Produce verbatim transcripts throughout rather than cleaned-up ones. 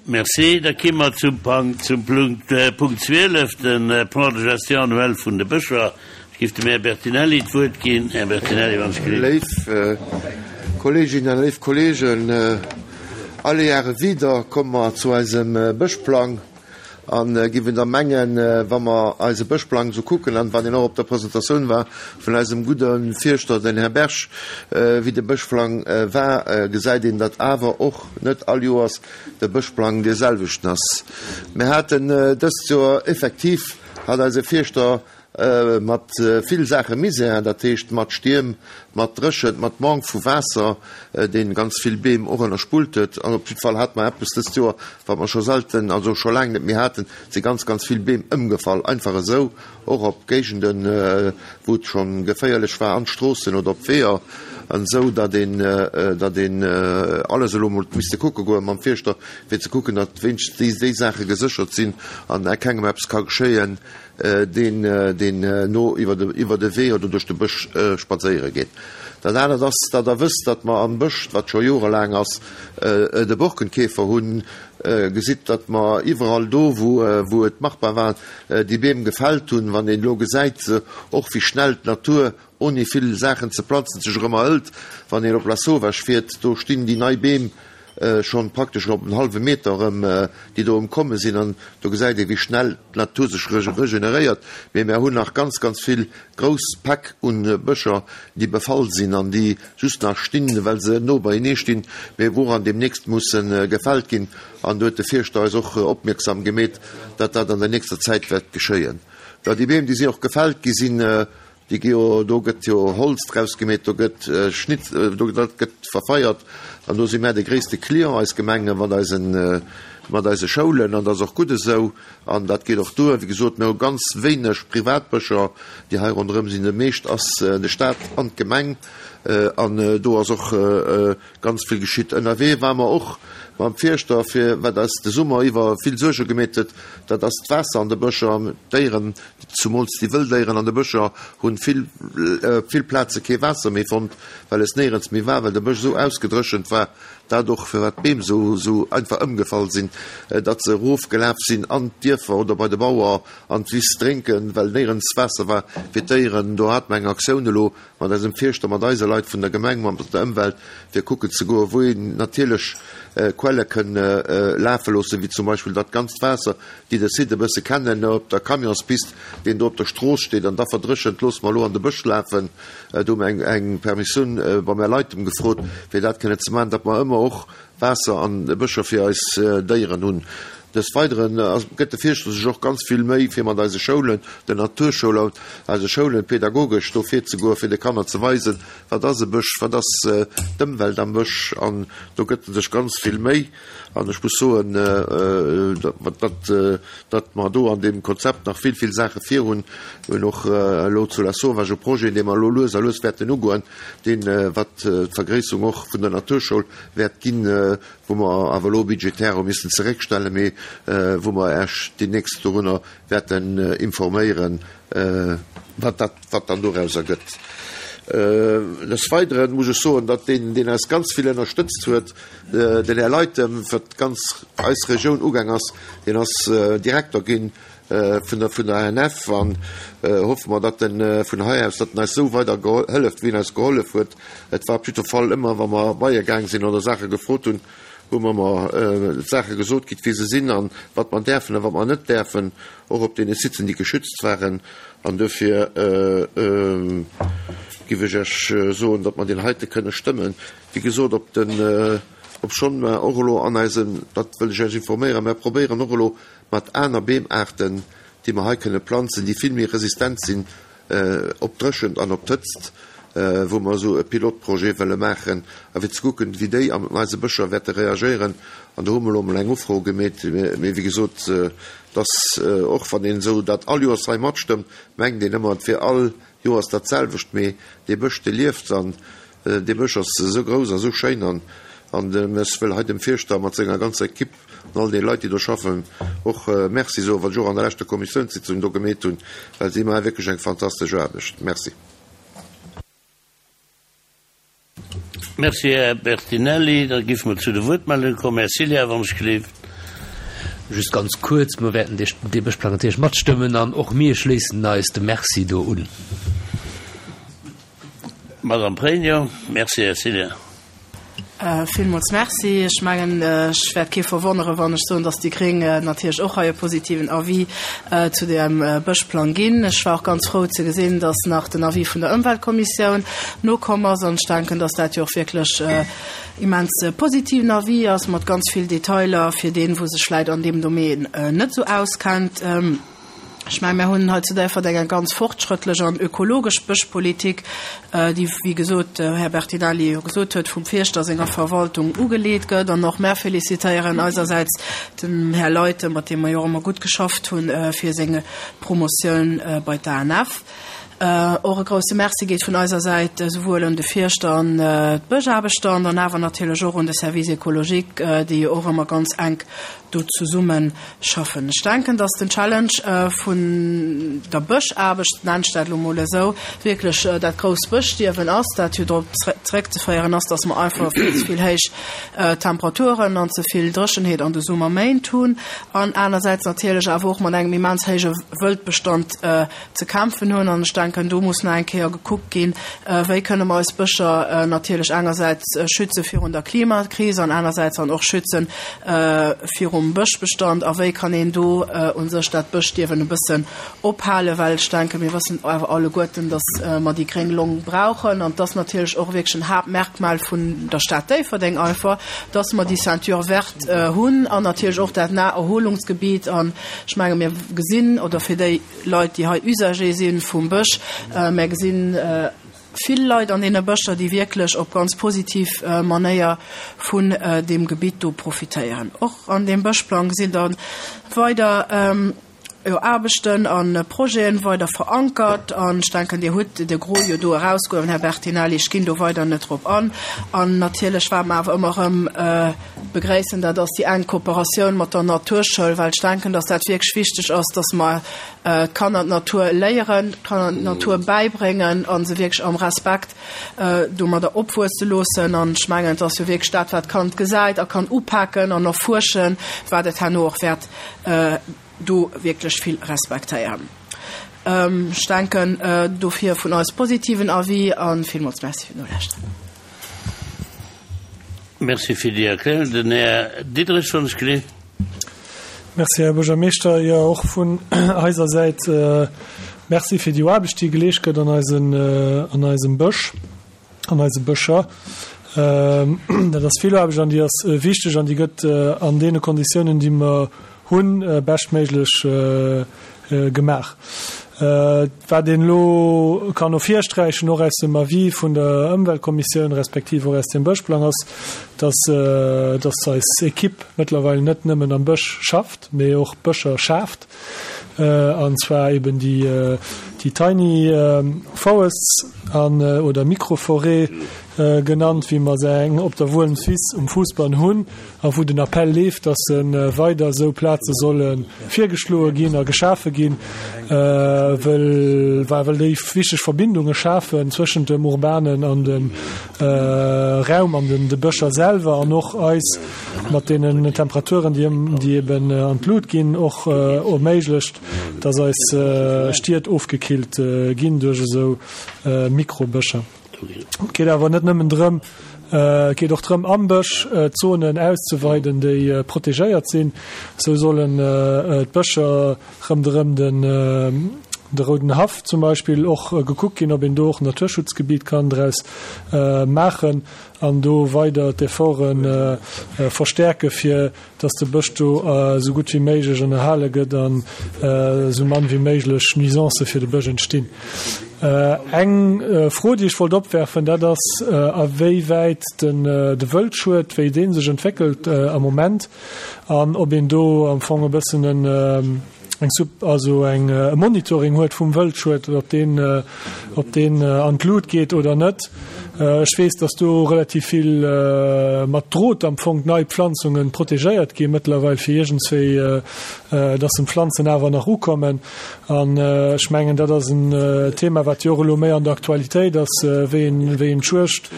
Merci. Da ki mer zum Punkt, zum Punkt, äh, Punkt zwielef, den äh, Plan de gestion annuel vun de Bëscher. Ech giff dem Här Bertinelli d'Wuert ginn. Här Bertinelli, wann ech gelift. Léif äh, Kolleginnen an léif Kollegen, äh, alle Jahre wieder komme mer zu eisem äh, Bëschplang an äh, giffen der mengen, äh, wa mer eise Bëschplang so kucken, an wann een och op der Presentatioun war vun eisem gudde Fierschter, den Här Berg, äh, wéi de Bëschplang äh, war, äh, gesäit een, datt awer och net all Joers de Bëschplang dee selwechten ass. Mir haten äh, dëst Joer effektiv, hat eise Fierschter äh, mat äh, vill Saache Misär, dat heescht mat Stierm, mat Dréchent, mat Manque vu Waasser, äh, deen ganz vill Beem och ënnerspullt huet. An op jidde Fall hat mer eppes dëst Joer, wat mer scho selten, also scho laang net méi haten, si ganz, ganz vill Beem ëmgefall, einfach esou, och op Géigenden, äh, wou et schonn geféierlech war, an d'Stroossen oder op Weeër, an esou, datt een, äh, datt een äh, alles elo mol misste kucke goen mam Fierschter, fir ze kucken, datt wéinstens déi, déi Saache geséchert sinn an kengem eppes ka geschéien, äh, deen, äh, deen äh, no iwwer de, iwwer de Wee oder duerch de Bësch äh, spadséiere geet. Dat anert ass, datt der wësst, datt mer am Bësch, wat scho jorelaang ass, äh, de Borkenkäfer hunn, äh, gesitt, datt mer iwwerall do, wou, äh, wou et machbar war, äh, déi Beem gefällt hunn, wann een elo gesäit, äh, och wéi schnell d'Natur ouni vill Saachen ze planzen sech erëm erhëlt, wann een op Lasauvage fiert, do stinn déi nei Beem äh, schonn praktesch op en hallwe Meter erëm, äh, déi do ëmkomme sinn, an do gesäit ee, wéi schnell d'Natur sech regeneréiert. Mee mir hunn nach ganz, ganz vill grouss Päck un Bëscher, déi befall sinn an déi just nach stinn, well se no beienee stinn, mee wou an deemnächst mussen äh, gefällt ginn. An do huet de Fierschter eis och äh, opmierksam gemeet, datt dat an der nächster Zäit wäert geschéien. Ja, déi Beem, déi si och gefällt gi sinn, äh, déi gi jo, do gëtt jo Holz draus gemeet, do gëtt äh, Schnitt, äh, do dat gëtt verfeiert, an do si mär de gréisste Client eis Gemenge mat eisen, äh, mat eise Schoulen, an dat ass och gutt esou, an dat geet och duer. Wéi gesot, mir hu ganz wéineg Privatbëscher, déi hei ronderëm sinn. De meescht ass äh, de Staat an d'Gemeng, äh, an äh, do ass och äh, ganz vill geschitt. Ënnerwee war mer och mam Fierschter, fir wat eis de Summer iwwer vill Suerge gemeet huet, dat ass d'Waasser an de Bëscher. D'Déieren, zumools déi wëll Déieren an de Bëscher, hunn vill, äh, vill Plaze kee Waasser méi fonnt, well es néierens méi war, well de Bësch esou ausgedréchent war, dat och firwat d'Beem esou, esou einfach ëmgefall sinn, äh, datt se erofgelaf sinn an d'Dierfer oder bei de Bauer an d'Wiss drénken, well néierens Waasser war fir d'Déieren. Do hat mer eng Aktioun elo mat eisem Fierschter, mat eise Leit vun der Gemeng, mat der Ëmwelt, fir kucken ze goen, wou een natierlech äh, Quelle kënne äh, lafe loossen, wéi zum Beispill dat ganzt Waasser, déi de Site e bësse kennen, op der Camionspist, deen do op der Strooss steet, an da verdréchent, loosse mer elo an de Bësch lafen. Äh, do hu mer eng, eng Permissioun äh, bei mär Leit gefrot, fir dat kënnen ze maachen, datt mer ëmmer och Waasser an de Bëscher fir eis äh, Déieren hunn. Des Weideren äh, gëtt de Fierschter sech och ganz vill Méi fir mat eise Schoulen, den Naturschoul, eise Schoulen pädagogesch do virzegoen, fir de Kanner ze weisen, wat ass e Bësch, wat ass äh, d'Ëmwelt am Bësch, an do gëtt en sech ganz vill Méi. An ech muss soen, äh, datt, datt, datt mer do an deem Konzept nach vill, vill Saache virhunn. Mir hunn och äh, elo zu Lasauvage e Projet, dee mer elo lues a lues wäerten ugoen, deen, äh, wat äh, d'Vergréisserung och vun der Naturschoul wäert ginn, äh, wou mer awer elo budgetär hu missen zeréckstellen, mee äh, wou mer eréischt deemnächst dorunner wäerten äh, informéieren, äh, wat dat, wat dann doraus ergëtt. Äh, des Weideren muss ech soen, datt deen, deen eis ganz vill ënnerstëtzt huet, äh, den Här Leitem, fir ganz eis Regioun ugaang ass, deen ass äh, Direkter ginn äh, vun der, vun der A N F, an äh, hoffe mer, datt en äh, vun hei aus, datt en eis esou weider hëlleft, wéi en eis gehollef huet. Et war op jidde Fall ëmmer, wa mer bei e gaang sinn oder Saache gefrot hunn, hu mer mer äh, Saache gesot kritt, wéi se sinn an wat mer däerfen a wat mer net däerfen, och op deene Siten, déi geschützt waren. An dofir äh, äh, giff ech iech äh, soen, datt mer deen heite kënne stëmmen. Wéi gesot, op den äh, obschonn mer och elo an eisen, dat wëll ech iech informéieren, mer probéieren och elo mat aner Beemaarten, déi mer hei kënne planzen, déi vill méi resistent sinn äh, op Dréchent an op d'Hëtzt, äh, wou mer esou e Pilotprojet wëlle maachen, a fir ze kucken, wéi déi an eise Bëscher wäerte reagéieren. An do hu mer elo mol eng Ufro gemeet, mee wéi gesot, äh, dass äh, och wann een esou dat all Joers hei matstëmmt, mengt een ëmmer, et wier all Joers dat selwecht, mee dee Bësch, dee lieft, an äh, dee Bësch ass esou grouss a sou schéin, an an ech wëll hei dem Fierschter mat senger ganzer Ekipp an all de Leit, déi do schaffen, och äh, Merci soen, wat ech och an der leschter Kommissiounssitzung do gemeet hunn, well si maache wierklech eng fantastesch Aarbecht. Merci. Merci, Här Bertinelli. Da giffe mer zu de Wuertmeldunge kommen. Här Ciliar, wann ech gelift. Just ganz kuerz, Mir wäerten dee Bëschplang natierlech matstëmmen an och mir schléissen eis dem Merci do un. Madame Pregno. Merci, Här Cillien. Villmools Merci. Ech mengen, ech wäert kee verwonneren, wann ech soen, dass déi Gréng natierlech och hei e positiven Avis zu deem Bëschplang ginn. Ech war och ganz frou ze gesinn, dass nach den Avis vun der Ëmweltkommissioun nokomm ass. An ech denken, dass dat jo och wierklech immens positiven Avis ass mat ganz vill Detailer fir deen, wou sech vläicht an deem Domaine net esou auskennt. Ech mengen, mir hunn hei zu Déifferdeng eng ganz fortschrëttlech an ökologesch Bëschpolitik, déi, wéi gesot, de Här Bertinelli jo gesot huet, vum Fierschter senger Verwaltung ugeleet gëtt. An och mär felicitéieren eisersäits dem Här Leithen, mat deem mer jo och ëmmer gutt geschafft hunn, fir seng Promotioun bei d'ANF. Och e grouse Merci geet vun eiser Säit esouwuel un de Fierschter an d'Bëschaarbechter an dann awer natierlech och un de Service écologique, déi jo och ëmmer ganz enk do zesumme schaffen. Ech denken, dass den Challenge vun der Bëschaarbecht, nennen ech dat elo mol esou, wierklech dat grousst Bëschstierwen ass, dat jo drop zeréckzeféieren ass, dass mer einfach vill ze vill héich Temperaturen an ze vill Dréchenheet an de Summerméint hunn an anersäits natierlech awer och mat engem immens héije Wëldbestand ze kämpfen hunn. An ech denken, do muss nach eng Kéier gekuckt ginn, wéi kënne mer eis Bëscher natierlech engersäits schütze virun der Klimakris an anersäits dann och schütze virum Bëschbestand a wéi kann een do u sech dat Bëschstierwen e bëssen ophalen, well ech denken, mir wëssen awer alleguerten, datt mer déi gréng Long brauchen an dass natierlech och wierklech en Haaptmerkmal vun der Stad Déifferdeng einfach, datt mer déi Ceinture verte hunn an natierlech och dat Naherholungsgebiet. An ech menge mir gesinn, oder fir déi Leit, déi hei Usager si vum Bësch, mir gesinn vill Leit an deene Bëscher, déi wierklech op ganz positiv Manéier vun deem Gebitt do profitéieren. Och an deem Bëschplang sinn da weider jo Aarbechten a Projeten weider verankert. An ech denken, Dir hutt de Gros jo do erausgehuewen, Här Bertinelli. Ech ginn do weider net drop an. An natierlech, wat mer awer ëmmer erëm begréissen, dat ass déi enk Kooperatioun mat der Naturschoul, well ech denken, dass dat wierklech wichteg ass, dass mer d'Kanner d'Natur léieren, d'Kanner d'Natur bäibréngen a se wierklech am Respekt domadder opwuesse loossen. An ech mengen, et ass jo wierklech dat, wat d'Kand gesäit a kann upaken an erfuerschen, wat et herno och wäert do wierklech vill respektéieren. Ech denken, dofir vun eis positiven Avis a villmools Merci fir d'Nolauschteren. Merci fir déi Erklärung. Den Här Diderich, wann ech geleet. Merci, Här Buergermeeschter. Jo, och vun eiser Säit Merci fir déi Aarbecht, déi geleescht gëtt an eisen, an eisem Bësch, an eise Bëscher. Dat ass vill Aarbecht an déi ass wichteg an déi gëtt an deene Konditiounen, déi mer hunn, beschtméiglech gemaach. Wat een elo kann ervirsträichen, och aus dem Avis vun der Ëmweltkommissioun respektiv och aus dem Bëschplang, ass, dass, dass eis Equipe mëttlerweil net nëmmen am Bësch schafft, mee och Bëscher schaaft, an zwar eben déi, déi Tiny Forests an, oder Microforêts genannt, wéi mer se eng op der Wuelmswiss um Fousbann hunn a wou den Appell leeft, dass se weider esou Plaze solle virgeschloe ginn a geschafe ginn, wëll well déi wichteg Verbindunge schafen zwëschent dem urbanen an dem Raum an den de Bëscher selwer an och eis mat deenen Temperaturen, déi déi eben an d'Lut ginn, och erméiglecht, dass eis Stied ofgekillt ginn duerch esou Mikrobëscher. Et geet awer net nëmmen drëm, et geet och drëm, am Bësch d'Zonen auszeweiden, déi protegéiert sinn. Esou sollen d'Bëscher ronderëm den de Rouden Haff zum Beispill och gekuckt ginn, ob een do och en Naturschutzgebiet kann draus maachen an do weider d'Efforte verstärke fir dass de Bësch do esou gutt wéi méiglech ënnerhale gëtt an esou mann wéi méiglech Nuisancë fir de Bësch entstinn. Eng Fro, déi ech wollt opwerfen, dat ass, a wéi wäit den de Wëldschued, wéi dee sech entwéckelt am Moment an ob een do am Fong e bëssen en eng Sub, also eng e Monitoring huet vum Wëldschued, ob deen ob deen an d'Lut geet oder net. Ech weess, dass do relativ vill mat Drot am Fong nei Pflanzungen protegéiert gi mëttlerweil fir iergendswéi, dass en d'Pflanzen awer nach ukommen. An ech mengen, dat ass en Thema, wat jo och elo méi an der Aktualitéit ass, wéi een, wéi een d'Juegd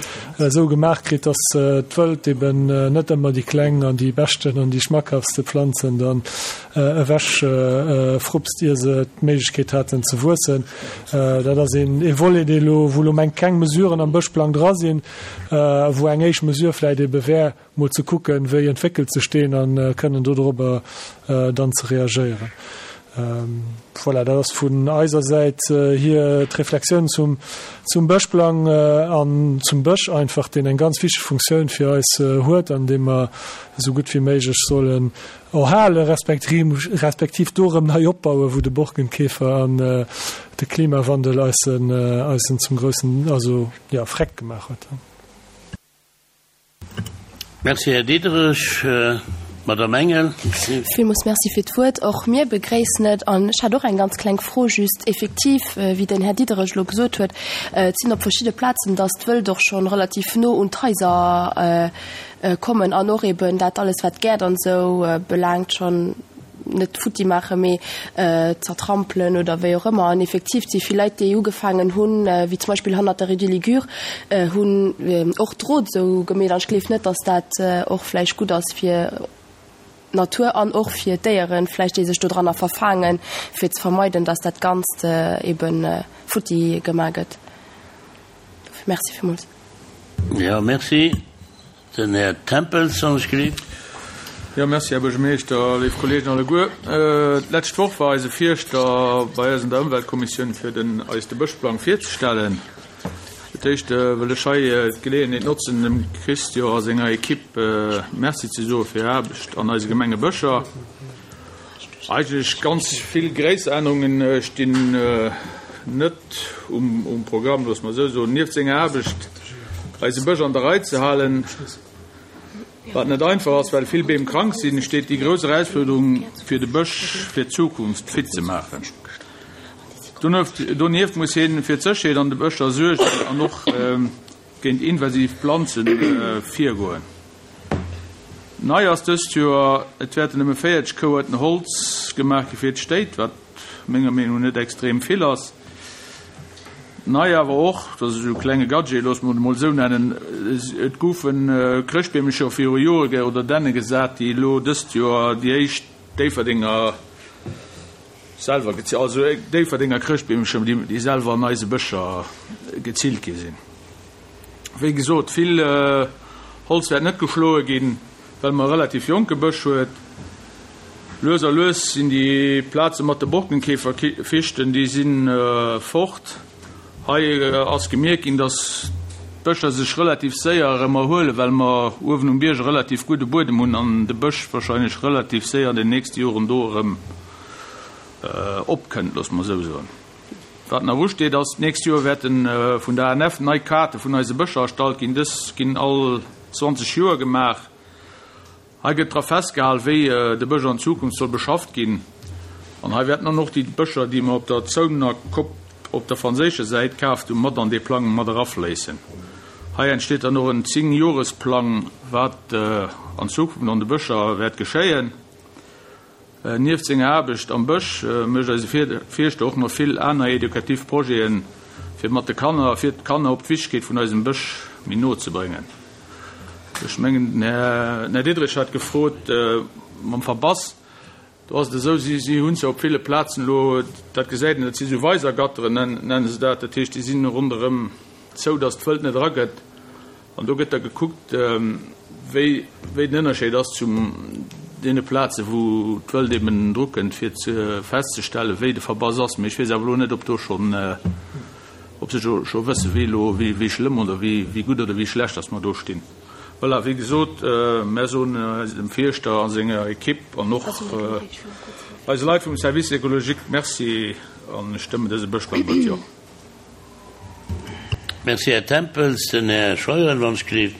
esou gemaach kritt, dass d'Wëld eben net ëmmer déi kleng an déi beschten an déi schmackhaftste Pflanzen dann ewech frupst, ier se d'Méiglechkeet haten ze wuessen. Dat ass een ee Volet, dee elo, wou elo meng keng Mesuren am Bëschplang dra sinn, wou eng éischt Mesure vläicht ebe wär, mol ze kucken, wéi entwéckelt sech deen a kënnen dodrobber dann ze reagéieren. Voilà, dat ass vun eiser Säit hier d'Reflexioun zum, zum Bëschplang an zum Bësch einfach, deen eng ganz wichteg Funktioun fir eis huet an dee mer esou gutt wéi méiglech sollen erhale respektiv do erëm nei opbauen, wou de Borkenkäfer an de Klimawandel eis en, eis en zum groussen, also ja, Freck gemaach huet. Merci, Här Diderich. Madame Engel. Villmools Merci fir d'Wuert. Och mir begréissen et. An ech hätt och eng ganz kleng Fro just. Effektiv, wéi den Här Diderich elo gesot huet, et sinn op verschidde Plazen, dass d'Wëld och schonn relativ no un d'Haiser kommen an och eben dat alles, wat d'Gäert an esou belaangt, schonn net futti maachen, mee zertrampelen oder wéi och ëmmer. An effektiv, et si vill Leit, déi ugefaangen hunn, wéi zum Beispill hannert der Rue du Ligure, hunn och Drot esou gemeet. An ech gleef net, dass dat och vläicht gutt ass fir d'Natur an och fir d'Déieren vläicht, déi sech dodranner verfaangen, fir ze vermeiden, dass dat Ganzt ebe futti gemaach gëtt. Dofir Merci villmools. Jo, merci. Den Här Tempels, wann ech gelift. Jo, merci, Här Buergermeeschter, léif Kolleegen alleguer. D'lescht Woch war eise Fierschter bei eis an der Ëmweltkommissioun, fir den eis de Bëschplang virzestellen. Fir d'éischt wëll ech hei d'Geleeënheet notzen, dem Christian a senger Equipe Merci ze soe fir hir Aarbecht an eise Gemengebëscher. Eigentlech ganz vill gréisser Ännerunge stinn net um Programm, loosse mer esou soen. Nieft senger Aarbecht, eise Bësch an der Rei ze halen, wat net einfach ass, well vill Beem krank sinn, steet déi grouss Erausfuerderung, fir de Bësch fir d'Zukunft fit ze maachen. Donieft muss hie fir d'Sécherheet an de Bëscher suergen an och géint invasiv Planze virgoen. Nei ass dëst Joer, et wäerten nëmme véierzeg Kouerten Holz gemaach gi fir d'Stéit, wat menger Meenung no net extrem vill ass. Nei awer och, dat ass esou e klenge Gadget, loosse mer et emol esou nennen, et goufe Chrëschtbeemecher viru Jore oder Dänne gesat, déi elo dëst Joer déi éischt Déifferdenger selwer gezillt, also Déifferdenger Chrëschtbeemecher, déi selwer an eise Bëscher gezillt gi sinn. Wéi gesot, vill Holz wäert net geschloe ginn, well mer e relativ jonke Bësch huet. Lues a lues sinn déi Plaze mat de Borkenkäferfichten, déi si fort. Hei ass gemierkt ginn, dass d'Bëscher sech relativ séier erëm erhuelen, well mer uewen um Bierg e relativ gudde Buedem hunn an de Bësch wahrscheinlech relativ séier an den nächste Joren do erëm opkënnt, loosse mer esou soen. Wat nach usteet ass, d'nächst Joer wäerte vun der A N F nei Kaarte vun eise Bëscher erstallt ginn. Dës ginn all zwanzeg Joer gemaach. Hei gëtt dra festgehal, wéi de Bësch an Zukunft soll beschafft ginn. An hei wäerten dann och déi Bëscher, déi mer op der Zounener Kopp op der franséischer Säit kaaft hunn, mat an dee Plang mat erafléissen. Hei entsteet dann och en Zéng-Jores-Plang, wat an Zukunft an de Bëscher wäert geschéien. Nieft senger Aarbecht am Bësch mécht eise Fierschter och nach vill aner edukativ Projeten, fir mat de Kanner, fir d'Kanner op d'Wichtegkeet vun eisem Bësch méi no ze bréngen. Ech mengen, den Här Diderich hat gefrot mam Verbass. Do ass et esou, si, si hunn se op ville Plazen elo, dat gesäit een, dat si sou Weisergatteren, nenne se dat, dat heescht, déi sinn ronderëm zou, datt d'Wëld net eragëtt. An do gëtt da gekuckt, wéi, wéi den Ënnerscheed ass zu deene Plazen, wou d'Wëld eben drukënnt, fir ze festzestellen, wéi de Verbass ass. Mee ech weess awer elo net, ob do schonn, ob se scho, scho wëssen, wéi elo, wéi, wéi schlëmm oder wéi, wéi gutt oder wéi schlecht datt mer do stinn. Voilà, wéi gesot, mär soen dem Fierschter a senger Equipe an och eise Leit vum Service écologique Merci an stëmmen dëse Bëschplang mat Jo. Merci, Här Tempels. Den Här Scheuren, wann ech gelift.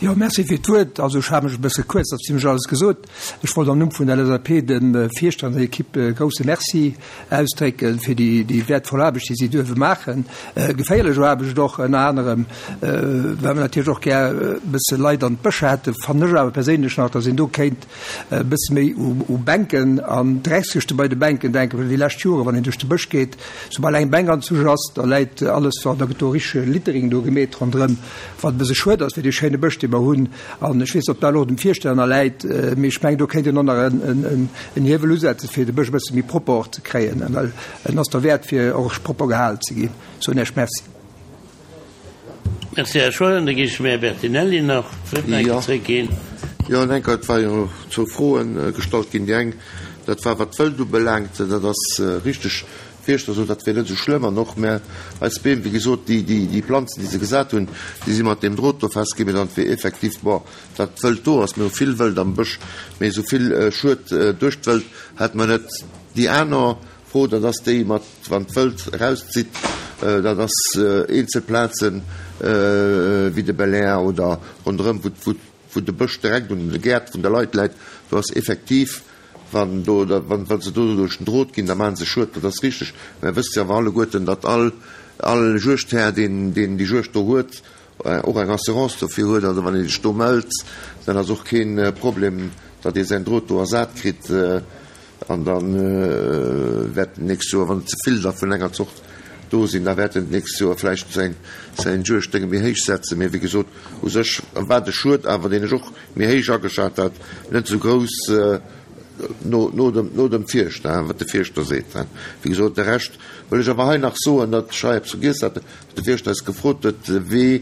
Jo, Merci fir d'Wuert. Also ech hale mech e bësse kuerz, ass zimlech alles gesot. Ech wollt am Numm vun der LSAP dem Fierschter an der Equipe e grouse Merci ausdrécke fir déi, déi wäertvoll Aarbecht, déi si duerfe maachen. Geféierlech Aarbecht och ënner anerem, well mer natierlech och gär e bësse Leit an d'Bëscher hätten, fannen ech awer perséinlech nach, datt een do kéint e bësse méi u, u Bänken an Dreckskëschte bei de Bänken denken, well déi lescht Jore wann een duerch de Bësch geet, soubal eng Bänk anzusch ass, da läit alles, da gëtt do richtege Littering do gemeet ronderëm, wat e bësse schued ass fir dee schéine Bësch, dee mer hunn. An ech weess net, ob dat elo dem Fierschter ënnerläit, mee ech mengen, do kéint een och nach en Hiewel usetzen, fir de Bësch e bësse méi propper och ze kréien, well en ass derwäert, fir och propper gehalen ze ginn. Soen Iech Merci. Merci, Här Scheuren. Da géif ech dem Här Bertinelli nach d'Wuert nach eng Kéier zréckginn. Jo, en Enker, et war jo zwou Froe gestallt ginn. Déi eng, dat war wat d'Wëld ubelaangt. Dat ass richteg, Fierschter sot, dat wär net esou schlëmm. An och mä eis Beem, wéi gesot, déi, déi, déi Planzen, déi se gesat hunn, déi si mat deem Drot do festginn. Mee dann wier effektiv, bon, datt d'Wëld do ass. Mir hu vill Wëld am Bësch, mee esou vill Schued duerch d'Wëld hätte mer net. Déi aner Fro, dat ass déi mat, wann d'Wëld erauszitt, dat ass eenzel Plazen, wéi de Belair oder ronderëm, wou, wou, wou de Bësch direkt un de Gäert vun de Leit läit, do ass effektiv, Wann do, wann, wann se do duerch den Drot ginn, da maachen se Schued, dat ass richteg. Mä wësst Dir awer alleguerten, datt all, all Juegdhär, deen, deen déi Juegd do huet, och eng Assurance dofir huet. Also wann ee sech do mellt, dann ass och kee Problem, datt ee säin Drot do ersat kritt. An da wäert en d'nächst Joer, wann et ze vill da vun enger Zort do sinn, da wäert en d'nächst Joer vläicht säin, säin Juegddénge méi héich setzen. Mee wéi gesot, u sech war de Schued awer, deen ech och méi héich ageschat hat, net esou grouss no, no dem, no dem Fierschter, wat de Fierschter seet. Wéi gesot, de Rescht wëll ech awer hei nach soen, datt ech hei eppes vergiess hat, wat de Fierschter eis gefrot huet, de Wee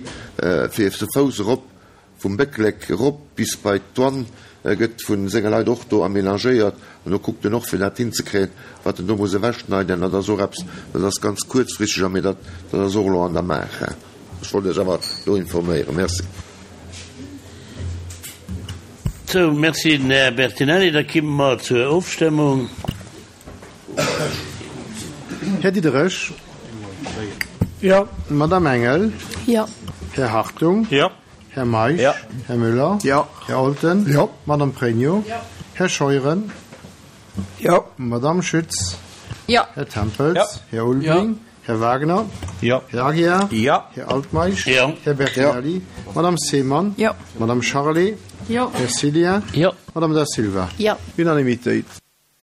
fir ze Fouss erop vum Bécklek erop bis bei d'Douane gëtt vu senge Leit och do aménagéiert an do kuckt en och fir dat hinzekréien, wat en do muss ewechschneiden. Dat ass och eppes, dat ass ganz kuerzfristeg a mee dat, dat ass och elo an der Maach. Ech wollt Iech awer do informéieren. Merci. Sou, merci den Här Bertinelli. Da kimme mer zur Ofstëmmung. Här Diderich. Jo. Madame Engel. Jo. Här Hartung. Jo. Här Meisch. Jo. Här Müller. Jo. Här Olten. Jo. Madame Pregno. Jo. Här Scheuren. Jo. Madame Schütz. Jo. Här Tempels. Jo. Här Ulveling. Jo. Här Wagner. Jo. Här Aguiar. Jo. Här Altmeisch. Jo. Här Bertinelli. Jo. Madame Seemann. Jo. Madame Charlé. Jo. Här Cillien. Jo. Madame Da Silva. Jo. Unanimitéit.